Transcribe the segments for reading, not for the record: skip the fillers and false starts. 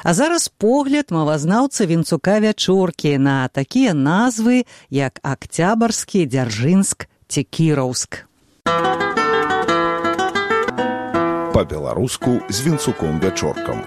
А зараз погляд мовазнаўца Вінцука Вячоркі на такія назвы, як Акцябарскі, Дзяржынск ці Кіраўск. Па-беларуску з Вінцуком Вячоркам.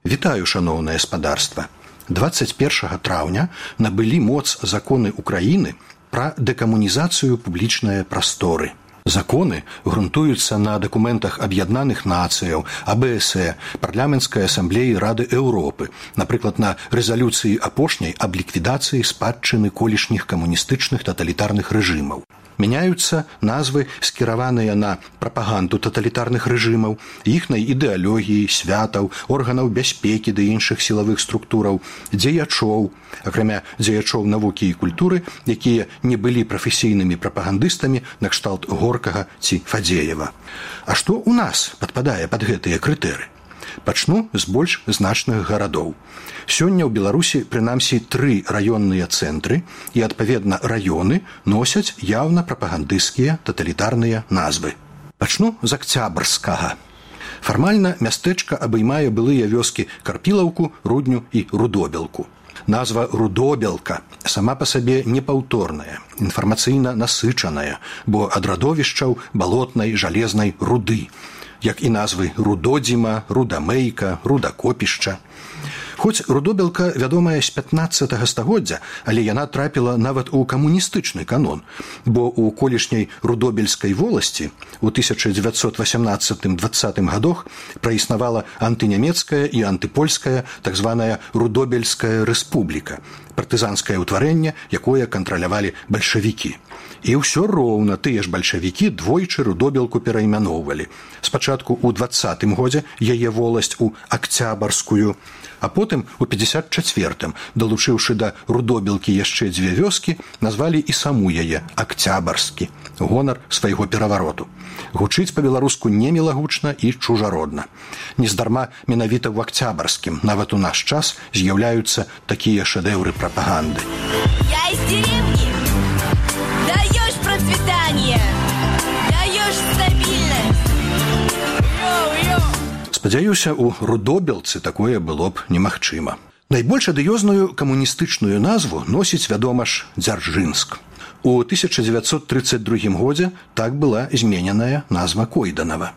Вітаю, шаноўнае спадарства. 21 траўня набылі моц законы Украіны пра дэкамунізацыю публічнай прасторы. Законы грунтуюцца на дакументах Аб'яднаных Нацыяў, АБСЭ, Парламенцкай асамблеі Рады Еўропы, напрыклад, на рэзалюцыі апошняй аб ліквідацыі спадчыны колішніх камуністычных таталітарных рэжымаў. Мяняюцца назвы, скіраваныя на прапаганду таталітарных рэжымаў, іхнай ідэалогіі, святаў, органаў бяспекі ды іншых сілавых структураў, дзеячоў, акрамя дзеячоў навукі і культуры, якія не былі прафесійнымі прапагандыстамі накшталт Горкага ці Фадзеева. А што ў нас падпадае пад гэтыя крытэры? Пачну з больш значных гарадоў. Сёння ў Беларусі прынамсі 3 раённыя цэнтры і, адпаведна, раёны носяць яўна прапагандысцкія таталітарныя назвы. Пачну з Акцябарскага. Фармальна мястэчка абаймае былыя вёскі Карпілаўку, Рудню і Рудобелку. Назва Рудобелка сама па сабе непаўторная, інфармацыйна насычаная, бо ад радовішчаў балотнай жалезнай руды, як і назвы Рудодзіма, Рудамейка, Рудакопішча. Хоць Рудобелка вядомая з 15 стагоддзя, але яна трапіла нават у камуністычны канон, бо ў колішняй Рудобельскай воласці ў 1918-20 гадах праіснавала антынямецкая і антыпольская так званая Рудобельская рэспубліка, партызанскае ўтварэнне, якое кантралявалі бальшавікі. І ўсё роўна тыя ж бальшавікі двойчы Рудобелку пераймяноўвалі. Спачатку ў 20-м годзе яе воласць у Акцябарскую, а потым у 54-м, далучыўшы да Рудобелкі яшчэ 2 вёскі, назвалі і саму яе Акцябарскі, гонар свайго перавароту. Гучыць па-беларуску немілагучна і чужародна. Нездарма менавіта ў Акцябарскім нават у наш час з'яўляюцца такія шэдэўры прапаганды. Я из деревни. Даешь процветание, даешь стабильность. Йоу-йоу. Спадзяюся, у Рудобелцы такое было б немагчыма. Найбольш адыёзную камуністычную назву носіць, вядома ж, Дзяржынск. У 1932 годзе так была змененая назва Койданава.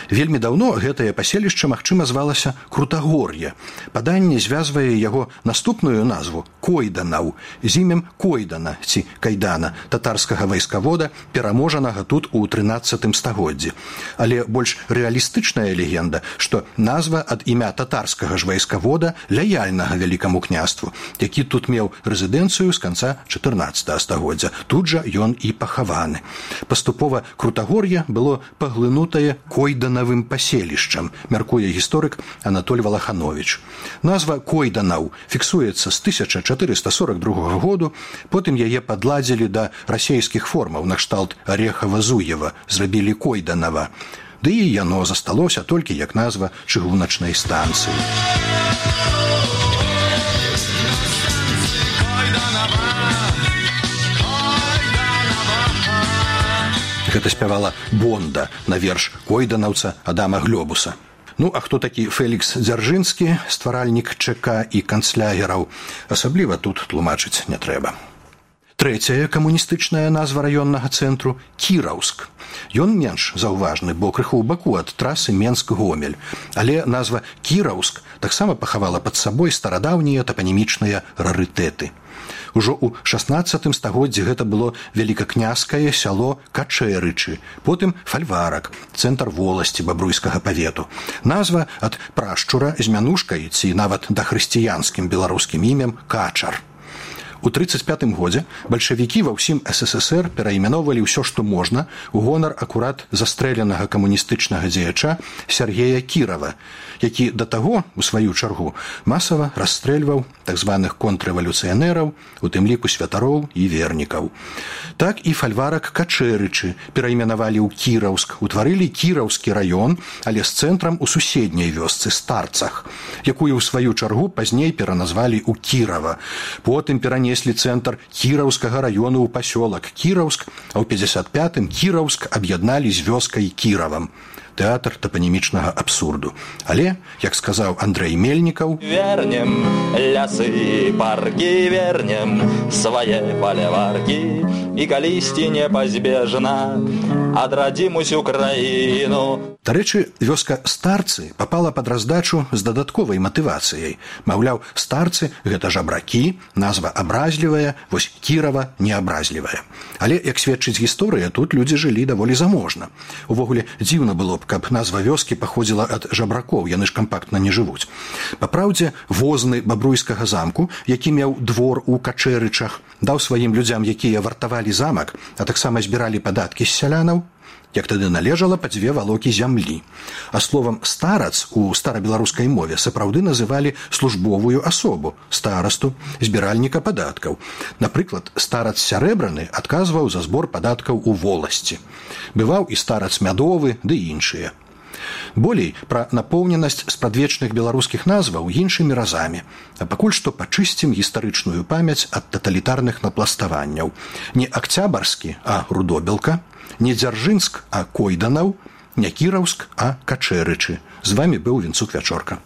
Вельмі даўно гэтае паселішча, магчыма, звалася Крутагор'е. Паданне звязвае яго наступную назву Койданаў з імем Койдана ці Кайдана, татарскага вайскавода, пераможанага тут у 13 стагоддзі. Але больш рэалістычная легенда, што назва ад імя татарскага ж вайскавода, лаяльнага вялікаму княству, які тут меў рэзідэнцыю з канца 14 стагоддзя. Тут жа ён і пахаваны. Паступова Крутагор'е было паглынутае Койданавым паселішчам, мяркуе гісторык Анатоль Валаханович. Назва Койданаў фіксуецца з 1442 году, потым яе падладзілі да расейскіх формаў накшталт Арехава-Зуева, зрабілі Койданава. Ды і яно засталося толькі як назва чыгуначнай станцыі. Гэта спявала Бонда на верш койданаўца Адама Глёбуса. Ну, а хто такі Фелікс Дзяржынскі, стваральнік ЧК і канцлягераў, асабліва тут тлумачыць не трэба. Трэцяя камуністычная назва раённага цэнтру – Кіраўск. Ён менш заўважны, бо крыху ў баку ад трасы Менск-Гомель. Але назва Кіраўск таксама пахавала пад сабой старадаўнія тапанімічныя рарытэты. Ужо ў 16 стагоддзі гэта было вялікакняскае сяло Качэрычы, потым фальварак, цэнтр воласці бабруйскага павету. Назва ад прашчура з мянушкай ці нават дахрысціянскім беларускім імем Качар. У 1935 годзе бальшавікі ва ўсім СССР перайменоўвалі ўсё, што можна, у гонар акурат застрэленага камуністычнага дзеяча Сергея Кірава, які да таго, у сваю чаргу, масава расстрэльваў так званых контррэвалюцыянераў, у тым ліку святароў і вернікаў. Так і фальварак Качэрычы перайменавалі ў Кіраўск, утварылі Кіраўскі раён, але з цэнтрам у суседняй вёсцы Старцах, якую ў сваю чаргу пазней пераназвалі ў Кірава. Потым перанеслі перанеслі цэнтр кіраўскага раёну ў пасёлак Кіраўск, а ў 55-м Кіраўск аб'ядналі з вёскай Кіравам. Тэатр тапанімічнага абсурду. Але, як сказаў Андрэй Мельнікаў, вернем лясы і паркі, вернем свае паляваркі, і калісьці непазбежна адрадзім усю краіну. Дарэчы, вёска Старцы папала пад раздачу з дадатковай матывацыяй. Маўляў, старцы – гэта жабракі, назва абразлівая, вось Кірава неабразлівая. Але, як сведчыць гісторыя, тут людзі жылі даволі заможна. Увогуле, дзіўна было б, каб назва вёскі паходзіла ад жабракоў, яны ж кампактна не жывуць. Папраўдзе, возны бабруйскага замку, які меў двор у Качэрычах, даў сваім людзям, якія вартавалі замак, а таксама збіралі падаткі з сялянаў, як тады належала па 2 валокі зямлі. А словам «старац» у старабеларускай мове сапраўды называлі службовую асобу, старасту, збіральніка падаткаў. Напрыклад, старац сярэбраны адказваў за збор падаткаў у воласці. Бываў і старац мядовы, ды іншыя. Болей пра напоўненасць спрадвечных беларускіх назваў іншымі разамі. А пакуль што пачысцім гістарычную памяць ад таталітарных напластаванняў. Не Акцябарскі, а Рудобелка, не Дзяржынск, а Койданаў, не Кіраўск, а Качэрычы. З вамі быў Вінцук Вячорка.